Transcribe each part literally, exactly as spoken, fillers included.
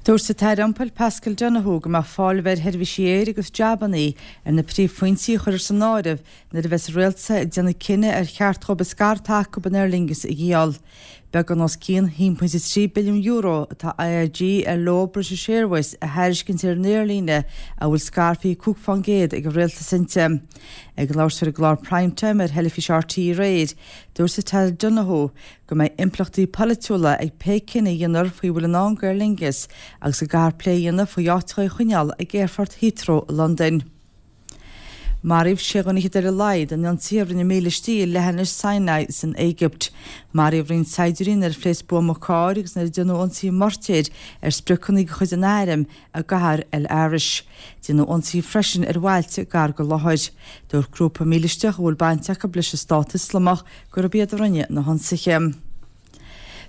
Dúirt an tAire Iompair Paschal Donohoe go mbeadh fáil ar sheirbhísí aeir agus jabanna ar na príomhphointí a chuirfear san áireamh nuair a bheas an rialtas ag déanamh cinneadh ar cheart dóibh an scair atá acu in Aer Lingus a dhíol. Beagán os cionn a haon pointe trí billiún euro atá IAG ar leo British Airways a thairiscint ar an aerlíne a bhfuil scair fiche cúig faoin gcéad ag an rialtas inti. Ag labhairt ar an gclár Primetime ar theilifís RTÉ aréir, dúirt an tAire Donohoe go mbeidh impleachtaí polaitiúla ag pé cinneadh a dhéanfar faoi bhfuil i ndán d'Aer Lingus agus go gcaithfear plé a dhéanamh faoi áit a choinneáil ag aerfort Heathrow i Londain. Maraíodh sé dhuine ar a laghad in ionsaí a rinne mílístí i leithinis Sinai san Éigipt. Maraíodh roinnt saighdiúirí nuair a phléasc buama cairr agus nuair a déanadh ionsaí moirtéir ar spriocanna de chuid an airm i gcathair El Arish. Déanadh ionsaí freisin ar bhailte gar don láthair. Dúirt grúpa mílisteach a bhfuil baint acu leis an stát Ioslamach gurb iad a rinne na hionsaithe.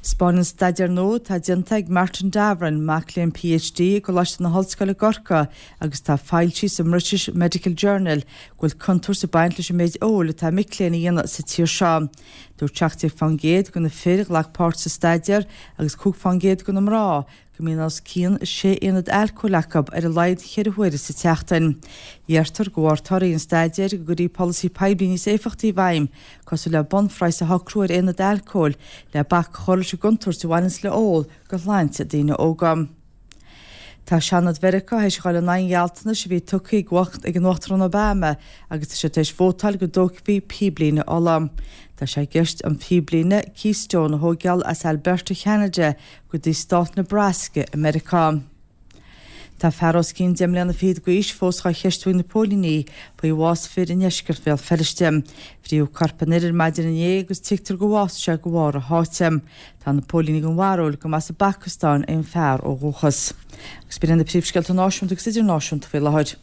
Spáineann staidéar nua atá déanta ag Martin Davoren, mac léinn PhD i gColáiste na hOllscoile i gCorcaigh agus tá foilsithe sa British Medical Journal go bhfuil contúirt ag baint leis an méid óil atá mic léinn a dhéanamh sa tír seo. Dúirt seacht déag faoin gcéad de na fir a ghlac páirt sa staidéar agus cúig faoin gcéad de na mná go mbíonn os cionn sé aonad alcóil acu ar a laghad ceithre huaire sa tseachtain. Iarrtar de bharr torthaí an staidéir go gcuirfí polasaí poiblí níos éifeachtaí i bhfeidhm, cosúil le bunphraghas a shocrú ar aonad alcóil le bac a chur leis an gcontúirt a bhaineanns le ól do shláinte daoine óga. Tá Seanad Mheiriceá théis a dhul in aghaidh an ghealltanais a bhí tugtha ag an Uachtarán Obama agus tá sé tar éis vótáil go dtógfaí píblíne ola. Tá sé i gceist an phíblíne Keystone a thógáil as Alberta Cheanada go dtí stát Nebraska i Meiriceá. Tá fear os cionn deich mbliana fichead d'aois fós á cheistiú ag na póilíní faoi bhás fir i ndeisceart Bhéal Feirste. Fríodh corp an fhir ar maidin inné agus tuigtear gur bhásaigh sé de bharr a sháite. Tá na póilíní den bharúil go mb'as an bPacastáin é an fear ó dhúchas. Agus b'in na príomhscéalta náisiúnta agus idirnáisiúnta faoi láthair.